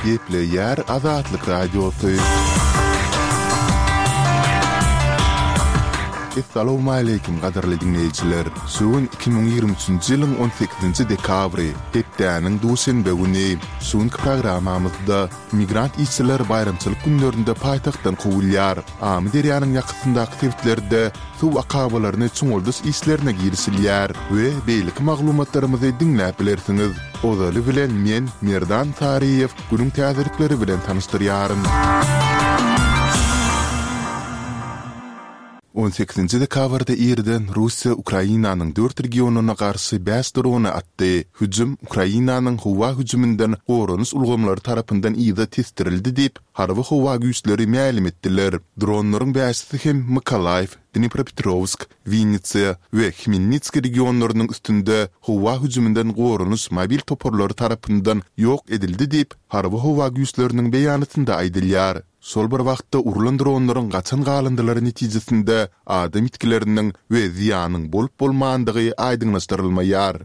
Gepleýär Azatlyk Radiosy. Essalawmaleýkim gadyrly diňleýjiler! Şu gün 2023-nji ýylyň 18-nji dekabry, hepdäniň duşenbe güni. Şu günki programmamyzda migrant işçiler baýramçylyk günlerinde paýtagtdan kowulýar. Amyderýanyň ýakasyndaky sebitlerde suw akabalaryny çuňaldyş işlerine girişilýär we beýleki maglumatlarymyzy diňläp bilersiňiz. Ozaly bilen men, Merdan Saryýew, günüň täzelikleri bilen tanyşdyrýaryn. On sekizinji dekabrda irden Russiýa Ukrainanyň dört regionyna garşy bäş drony atdy. Hüjüm Ukrainanyň howa hüjüminden goranyş ulgamlary tarapyndan yza tesdirildi diýip, Harby howa güýçleri mälim etdiler. Dronlaryň bäşisi hem Mykolaýiw, Dnipropetrowsk, Winnitsa we Hmelnitskiý regionlarynyň üstünde howa hüjüminden goranyş mobil toparlary tarapyndan ýok edildi diýip, Harby howa güýçleriniň beýanatynda aýdylýar. Şol bir wagtda urlan dronlaryň gaçan galyndylary netijesinde adam ýitgileriniň we zyýanyň bolup-bolmandygy aýdyňlaşdyrylmaýar.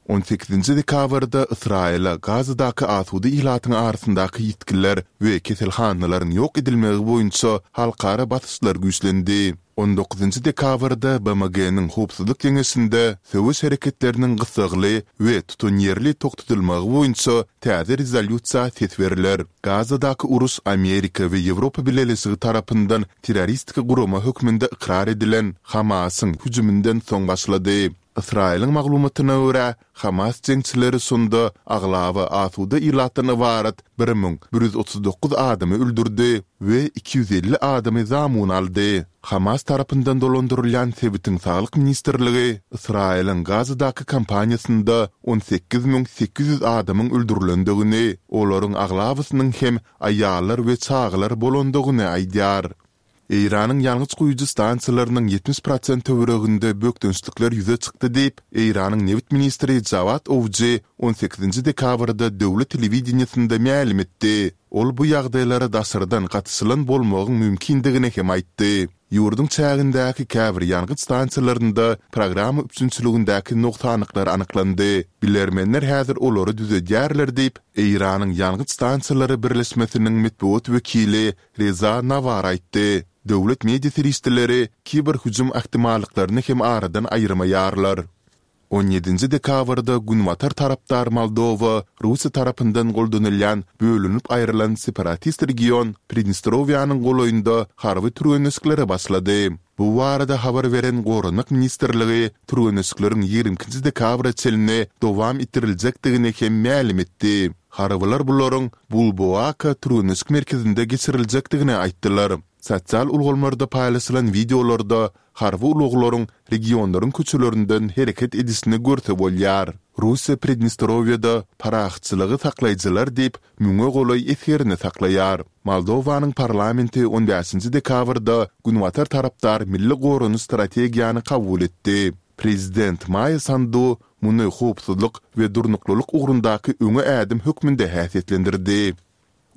On sekizinji dekabrda Ysraýyla Gazadaky asuda ilatyň arasyndaky ýitgiler we keselhanalaryň ýok edilmegi boýunça halkara basyşlar güýçlendi. On dokuzynjy dekabrda BMG-niň Howpsuzlyk Geňeşinde söweş hereketleriniň gyssagly we tutanýerli togtadylmagy boýunça täze rezolýusiýa ses berler. Gazadaky uruş Amerika we Ýewropa Bileleşigi tarapyndan terroristik gurama hökmünde ykrar edilen Hamasyň hüjüminden soň başlady. Ysraýylyň maglumatyna görä, Hamas jeňçileri şonda aglaba asuda ilatdan ybarat 1139 adamy öldürdi we 250 adamy zamun aldy. Hamas tarapyndan dolandyrylýan sebitiň saglyk ministrligi Ysraýylyň Gazadaky kampaniýasynda 18 800 adamyň öldürilendigini, olaryň aglabasynyň hem aýallar we çagalar bolandygyny aýdýar. Eýranyň ýangyç guýujy stansiýalarynyň 70 prosent töwereginde bökdençlikler ýüze çykdy diýip, Eýranyň nebit ministri Jawad Owji on sekizinji dekabrda döwlet telewideniýesinde mälim etdi. Ol bu ýagdaýlara daşardan gatyşylan bolmagyň mümkindigini hem aýtdy. Ýurduň çägindäki käbir ýangyç stansiýalarynda programma üpjünçiligindäki nogsanlyklar anyklandy. Bilermenler häzir olary düzedýärler diýip, Eýranyň ýangyç stansiýalary birleşmesiniň metbugat wekili Reza Nawar aýtdy. Döwlet media serişdeleri kiber hüjüm ähtimallyklaryny hem aradan aýyrmaýarlar. On ýedinji dekabrda günbatar tarapdar Moldowa Russiýa tarapyndan goldanylýan bölünip aýrylan separatist region Pridnestrowiýanyň golaýynda harby türgenleşiklere başlady. Bu barada habar beren Goranmak ministrligi türgenleşikleriň ýigrimi ikinji dekabra çenli dowam etdiriljekdigini hem mälim etdi. Harbylar bularyň Bulboaka türgenleşik merkezinde geçiriljekdigini aýtdylar. Sosial ulgamlarda paýlaşylan wideolarda harby ulaglaryň regionlaryň köçelerinden hereket edişini görse bolýar. Russiýa Pridnestrowiýada parahatçylygy saklaýjylar diýip, müňe golaý esgerini saklaýar. Moldowanyň parlamenti on bäşinji dekabrda Günbatar tarapdar milli goranyş strategiýany kabul etdi. Prezident Maýa Sandu muny howpsuzlyk we durnuklylyk ugrundaky öňe ädim hökmünde häsiýetlendirdi.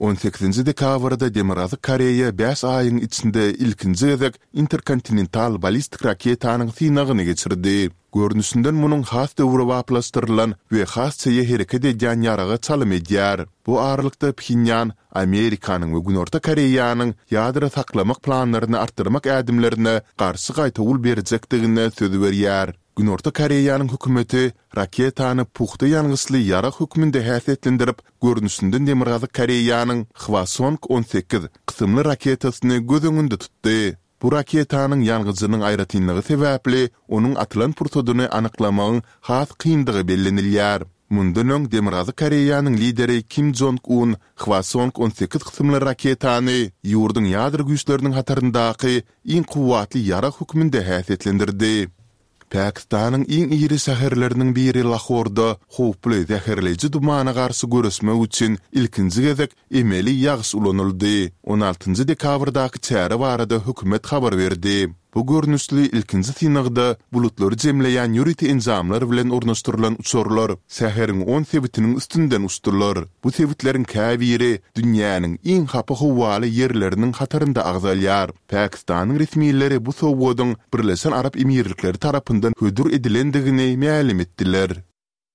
On sekizinji dekabrda Demirgazyk Koreýa bäş aýyň içinde ilkinji gezek interkontinental ballistik raketanyň synagyny geçirdi. Görnüşinden munuň has döwrebaplaşdyrylan we has çeýe hereket edýän ýaraga çalym edýär. Bu aralykda Phenýan Amerikanyň we Günorta Koreýanyň ýadro saklamak planlaryny artdyrmak ädimlerine garşy gaýtawul berjekdigine söz berýär. Günorta Koreýanyň hökümeti raketany pugta ýangyçly ýarag hökmünde häsiýetlendirip, görnüşinden Demirgazyk Koreýanyň Hwasong 18 kysymly raketasyny göz öňünde tutdy. Bu raketanyň ýangyjynyň aýratynlygy sebäpli onuň atylan pursadyny anyklamagyň has kyndygy bellenilýär. Mundan öň Demirgazyk Koreýanyň lideri Kim Jong Un Hwasong 18 kysymly raketany ýurduň ýadro güýçleriniň hataryndaky iň kuwwatly ýarag hökmünde häsiýetlendirdi. Pakistanyň iň iri şäherleriniň biri Lahorda howply zäherleýji dumana garşy göreşmek üçin ilkinji gezek emeli ýagyş ulanyldy. On altynjy dekabrdaky çäre barada hökümet habar berdi. Bu görnüşli ilkinji synagda bulutlary jemleýän ýörite enjamlar bilen ornaşdyrylan uçarlar şäheriň on sebitiniň üstünden uçdular. Bu sebitleriň käbiri dünýäniň iň hapa howaly ýerleriniň hatarynda agzalýar. Pakistanyň resmileri bu sowgadyň Birleşen Arap Emirlikleri tarapyndan hödür edilendigini mälim etdiler.